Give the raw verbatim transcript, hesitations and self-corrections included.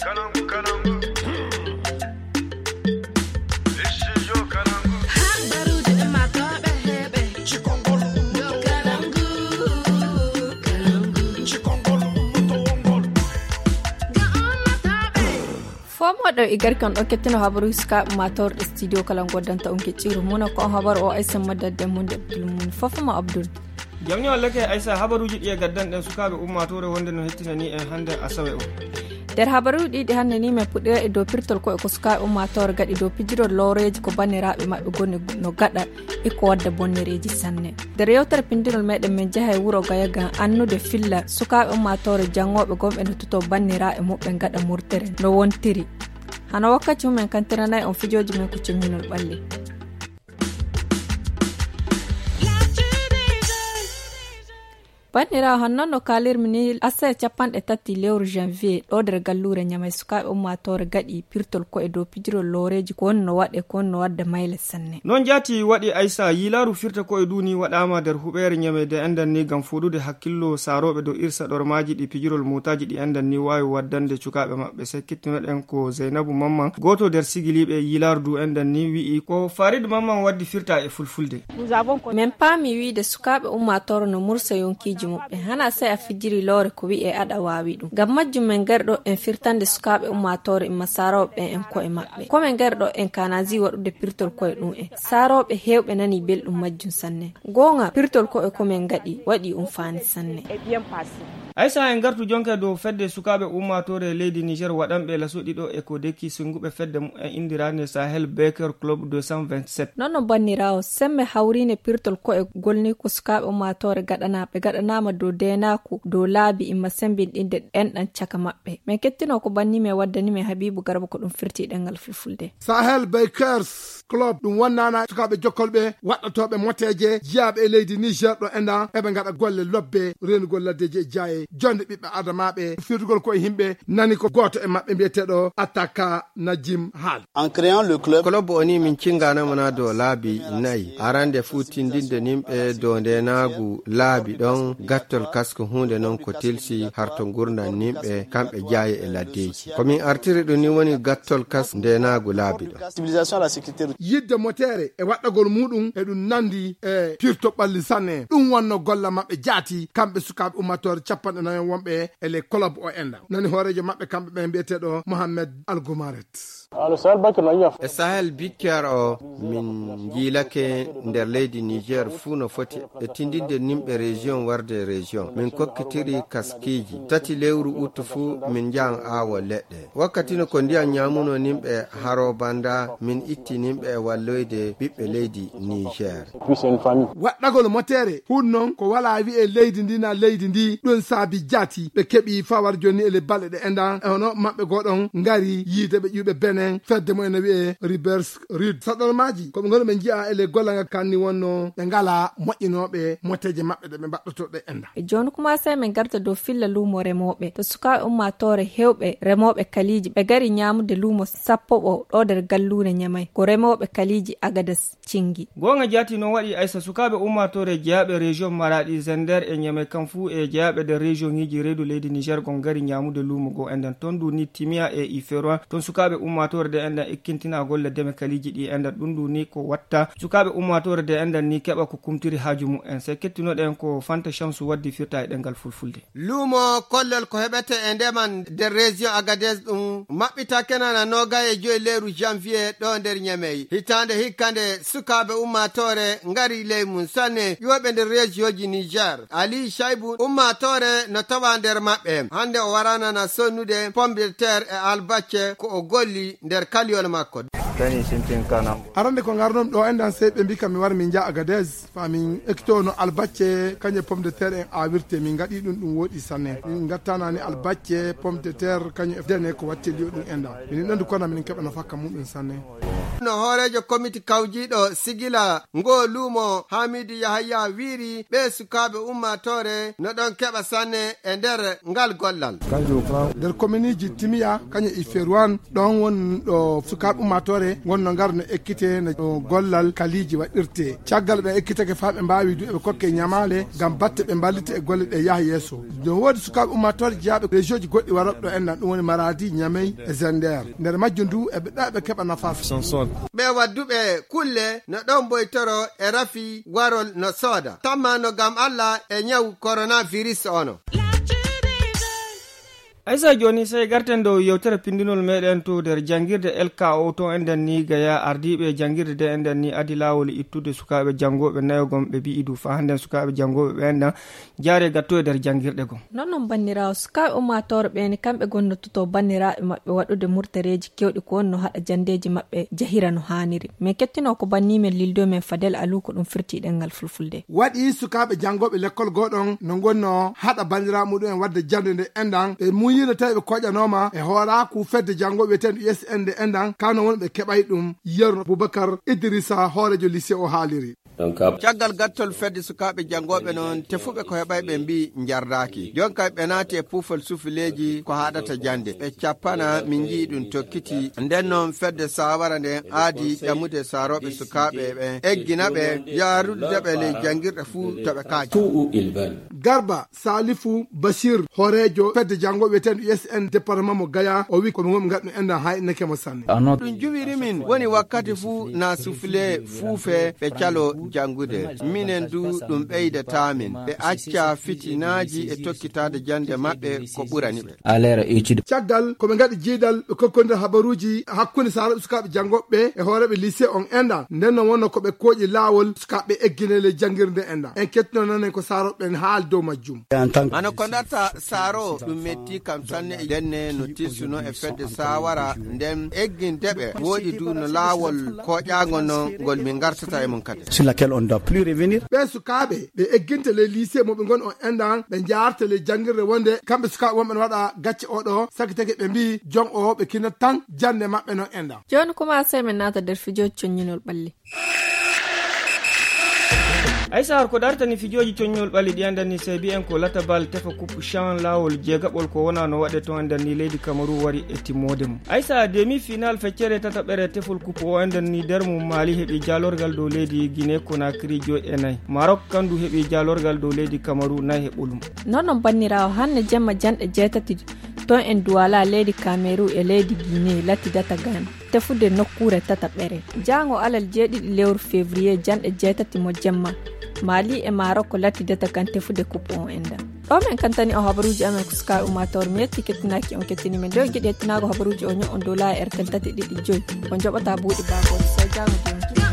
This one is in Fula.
Kalangu, kalangu. Studio Kalangu. Habaruuji ummaatooɓe heɓe. Cikongol ummaatooɓe. Kalangu, kalangu. Cikongol ummaatooɓe. Ga ummaatooɓe. Fomoɗo e garkan ɗo kettino habaruuji sukaaɓe ummaatooɓe studio Kalangu danta on kecciru muna ko on habar o aysan madadde mun de abdul mun fofoma abdul. Jamni wallake aysa habaruuji ɗi e gaddanɗen sukaaɓe ummaatoore wonde no hettinani en hannde asawe o. Nder habaruuji ɗiɗi hannde ni men puɗɗira e dow pirtol ko e ko sukaaɓe ummaatoore gaɗi dow pijirol lowreeji ko banniraaɓe maɓɓe goni no gaɗa e ko wadda bonnereeji sanne. Nder yewtere pinndinol meɗen men jaha e wuro gaya ngam annude filla sukaaɓe ummaatoore janngooɓe gomɓe no toto banniraaɓe muɓɓen gaɗa murtere no wontiri. Hano wakkati mumen kantiranay on fijooji men ko cemminol ɓalli. Banndiraawo, hannoo no kaalirmi ni, asawe capanɗe tati lewru janvier ɗo nder galluure Ñamey sukaaɓe ummaatoore gaɗi pirtol ko e dow pijirol looreeji ko woni no waɗe ko woni no wadda mayle sanne. Noon jaati waɗi aysa yiilaaru firta ko e duuni waɗaama nder huɓeere Ñamey de enɗan ni ngam fooɗude hakkillo saarooɓe dow irsa ɗormaaji ɗi pijirol mootaaji ɗi enɗan ni waawi waddande cukaaɓe maɓɓe. Sekkitinoɗen ko Zeynabu Mamman gooto nder sigiliiɓe yiilaaru du enɗan ni wi'i ko Farid Mamman waddi firta e fulfulde. Min paami wiide sukaaɓe ummaatoore no mursa yonkiiji muɓɓen. Hana sey a fijiri loore ko wi'e aɗa waawi ɗum. Ngam majjum min ngari ɗo en firtande sukaaɓe ummaatoore imma saarooɓe ɓen en ko'e maɓɓe. Ko min ngari ɗo en kaanaaji waɗude pirtol ko'e ɗum en. Saarooɓe heewɓe nanii belɗum majjum sanne. Goonga, pirtol ko'e ko min ngaɗi, waɗi um faani sanne. Aysa en ngartu jonka dow fedde sukaaɓe ummaatoore leydi Niger waɗanɓe laso ɗiɗo e ko deki singuɓe fedde mumen inndiraande Sahel Baker Club deux cent vingt-sept. Noon no banniraawo, semme hawriine pirtol ko'e golni ko sukaaɓe ummaatoore gaɗanaa. Ɓe gaɗanaama dow deenaaku, dow laabi imma semmbinɗinde enɗan caka maɓɓe. Min kettino ko banni min waddani min Habiibu Garba ko ɗum firti ɗemngal fulfulde. Sahel Bakers Club ɗum wonnaana sukaaɓe jokkolɓe waɗɗotooɓe moteeje jiyaaɓe e leydi Niger ɗo enɗan eɓe ngaɗa golle lobbe reenugol laddeeji e jaaye, jonde ɓiɓɓe adamaaɓe, firtugol ko e yimɓe, nani ko gooto e maɓɓe mbiyeteeɗo Ataka Najim haali. En créant le club. Club o ni min cinganama na dow laabi nayi. Arande fuu tindinde nimɓe dow ndenaagu laabi ɗon gattol kasko huunde non ko tilsi harto ngurndan nimɓe kamɓe jaaye e laddeeji. Ko min artiri ɗum ni woni gattol kas ndenaagu laabi ɗon. Yidde moteere e waɗɗagol muɗum e ɗum nandi e pirto ɓalli sanne. Ɗum wonno golla maɓɓe jaati kamɓe sukaaɓe ummatore capanɗe nayo wonɓe e les club o enɗan. Nani hooreejo maɓɓe kamɓe ɓen mbiyeteeɗo Mohamed Algomaret. E Sahel Biker o min njiilake nder leydi Niger fuu no foti e tindinde nimɓe région warde région. Min kokkitiri kaskiiji tati lewru uttu fuu min njahan aawo leɗɗe. Wakkati no ko ndiyam ñaamuno nimɓe haro banda min itti nimɓe e walloyde ɓiɓɓe leydi Niger. Waɗɗagol moteere hun non ko wala wi'e leydi ndi na leydi ndi ɗum saabi jaati ɓe keɓi fawar joni e le balɗe ɗe enɗan e hono maɓɓe goɗon ngari yiide ɓe ƴuɓe benen fedde mo ene wi'e Ribers Rid. Saɗormaaji ko ɓe ngoni ɓe nji'a e le golla ngal kanni wonno ɓe ngala moƴƴinooɓe moteeje maɓɓe ɗe ɓe mbaɗɗoto ɗe enɗan. E jooni kuma sey min garta dow filla luumo remooɓe. To sukaaɓe ummaatoore heewɓe remooɓe kaliiji ɓe ngari ñaamude luumo sappo ɓo ɗo nder galluure Ñamey. Ko remooɓe kaliiji Agades cingi. Goonga jaati noon waɗi aysa sukaaɓe ummaatoore jeyaaɓe région Maraɗi, Zender e Ñamey kam fuu e jeyaaɓe nder région ŋiiji reedu leydi Niger gon ngari ñaamude luumo goo enɗan. Toon du ni Timiya e Iferoin, toon sukaaɓe ummaatoore de enɗan ekkintina golle deme kaliiji ɗi enɗan. Ɗum du ni ko watta sukaaɓe ummaatoore de enɗan ni keɓa ko kumtiri haaju mumen. Sey kettinoɗen ko Fanta Shamsu waddi firta e ɗemngal fulfulde. Luumo kollol ko heɓete e ndema nder région Agadez ɗum maɓɓitake nana noogay e joyi lewru janvier ɗo nder Ñamey. Hitaande hikka nde sukaaɓe ummaatoore ngari ley mum sanne ƴuwoɓe nder région ji Niger. Ali Shaibu ummaatoore no tawa nder maɓɓe. Hannde o waranana sonnude pomme de terre e albacce ko o golli nder kaliyol makko. Arande ko ngarnon ɗo enɗan sey ɓe mbi kam mi war min njaha Agadez. Fa min ekto no albacce kañum e pomme de terre en awirte min ngaɗi ɗum ɗum woɗi sanne min ngattanani albacce pomme de terre kañum e dene ko watte liyo ɗum enɗan minin ɗondu kona minin keɓa nafaka muɗum sanne. No hooreejo komiti kawjiiɗo sigila ngoo luumo Hamidu Yahaya wiiri, ɓee sukaaɓe ummaatoore no ɗon keɓa sanne e nder ngal gollal. Nder kominiiji Timiya, kañum e Iferuwan, ɗon woni ɗo sukaaɓe ummaatoore ngonno ngar no ekkite no gollal kaliiji waɗirte. Caggal ɓe ekkitake faa ɓe mbaawi du eɓe kokke ñamaale ngam batte ɓe mballita e golle ɗe yaha yeeso. No woodi sukaaɓe ummaatoore jeyaaɓe rejiyooji goɗɗi warooɓe ɗo enɗan, ɗum woni Maradi, Ñamey e Zender. Nder majjum du eɓe ɗa ɓe keɓa nafaasa. Ɓe wadduɓe kulle no ɗon boytoro e rafi warol no sooda. Tamma no ngam Allah e ñawu coronavirus ono. Aysa, jooni sey garten dow yewtere pindinol meɗen to nder janngirde L K O to enɗan ni Gaya. Ardiiɓe janngirde de enɗan ni adi laawol ittude sukaaɓe janngooɓe nayo gom, ɓe mbi'i du faa hannden sukaaɓe janngooɓe ɓe enɗan jaare gatto e nder janngirɗe gom. Non non banniraawo, sukaaɓe ummaatoore ɓe ni kamɓe gonnototo banniraaɓe maɓɓe waɗude murtareeji kewɗi ko wonno haɗa janndeeji maɓɓe jahira no haaniri. Min kettino ko banni men lildo men Fadel Alu ko ɗum firti ɗemngal fulfulde. Waɗi sukaaɓe janngooɓe lekkol gooɗon no ngonno haɗa banndiraaɓe muɗum en waɗde jannde nde enɗan. Ɓe muuyino tawi ɓe koƴanooma e hooraaku fedde janngooɓe wiyeteendu U S N nde enɗan. Kano woni ɓe keɓay ɗum. Yerno Boubacar Idrissa, hooreejo lycée o haaliri. Caggal gattol fedde sukaaɓe janngooɓe noon, tefuɓe ko heɓay ɓe mbi'i njardaaki. Jooni kay ɓe naati e puufal sufileeji ko haɗata jannde. Ɓe cappana, min nji'i ɗum tokkiti. Nden noon fedde saawara nden aadi ƴamude saarooɓe sukaaɓe ɓen, eggina ɓe, yaarude ɓe ley janngirɗe fuu to ɓe kaaji. Garba Salifu Bashir, hooreejo fedde janngooɓe wiyeteendu U S N département mo Gaya, o wi'i ko ɓe ngonɓe ngaɗ ɗum enɗan haa inneke mo sanne. Ɗum juwiri min woni wakkati fuu na sufle fuufe ɓe calo janngude. Minen du ɗum ɓeydata min. Ɓe acca fitinaaji e tokkitaade jannde maɓɓe ko ɓurani ɓe. Caggal ko ɓe ngaɗi jiidal ɓe kokkondira habaruuji hakkunde saarooɓe sukaaɓe janngooɓe ɓe e hooreeɓe lycée on enɗan. Nden non wonno ko ɓe kooƴi laawol sukaaɓe eggine ley janngirde enɗan. En kettino nanen ko saarooɓe ɓen haali dow majjum. Hano ko ndatta saaro ɗum metti kam sanne e denne no tilsuno e fedde saawara nden egginde ɓe. Wooɗi du no laawol kooƴaango non ngol min ngartata e mum kadi. Sur laquelle on doit plus revenir. Ɓee sukaaɓe ɓe egginte ley lycée mo ɓe ngon on enɗan, ɓe njaarte ley janngirde wonde kamɓe sukaaɓe wonɓe no waɗa gacce oɗo, sakitake ɓe mbi'i jon o ɓe kinat tan jannde maɓɓe non enɗan. Jooni kuma sey min naata nder fijooji coññinol ɓalli. Aysa, har ko dartani fijooji coññol ɓalli ɗi enɗan ni, sey mbi'en ko latabal tefa coupe chan laawol jeegaɓol ko wona no waɗe to enɗan ni leydi Kamaru wari e timmoode mum. Aysa, demi final feccere tataɓere tefol coupe o enɗan ni nder mum Mali heɓi jaalorgal dow leydi Guinée Conakry joy e nayi. Maroc kandu heɓi jaalorgal dow leydi Kamaru nayi e ɓolum. Non non banniraawo, hanne jemma janɗe jeetati ton en Duwala leydi Kameru e leydi Guinée latidata gan tefude nokkuure tataɓere. Jaango alal jeeɗiɗi lewru février janɗe jeetati mo jemma, Mali e Maroc latidata kan tefude coupe on enɗan. Ɗo men kantani o habaruuji amen ko sukaaɓe ummaatoore. Mi yetti kettinaaki on kettini men. Nde on giɗi hettinaago habaruuji o ño'on dow laayi R T L tati ɗiɗi joy. On joɓata buuɗi baagooji. Sey jaango jam.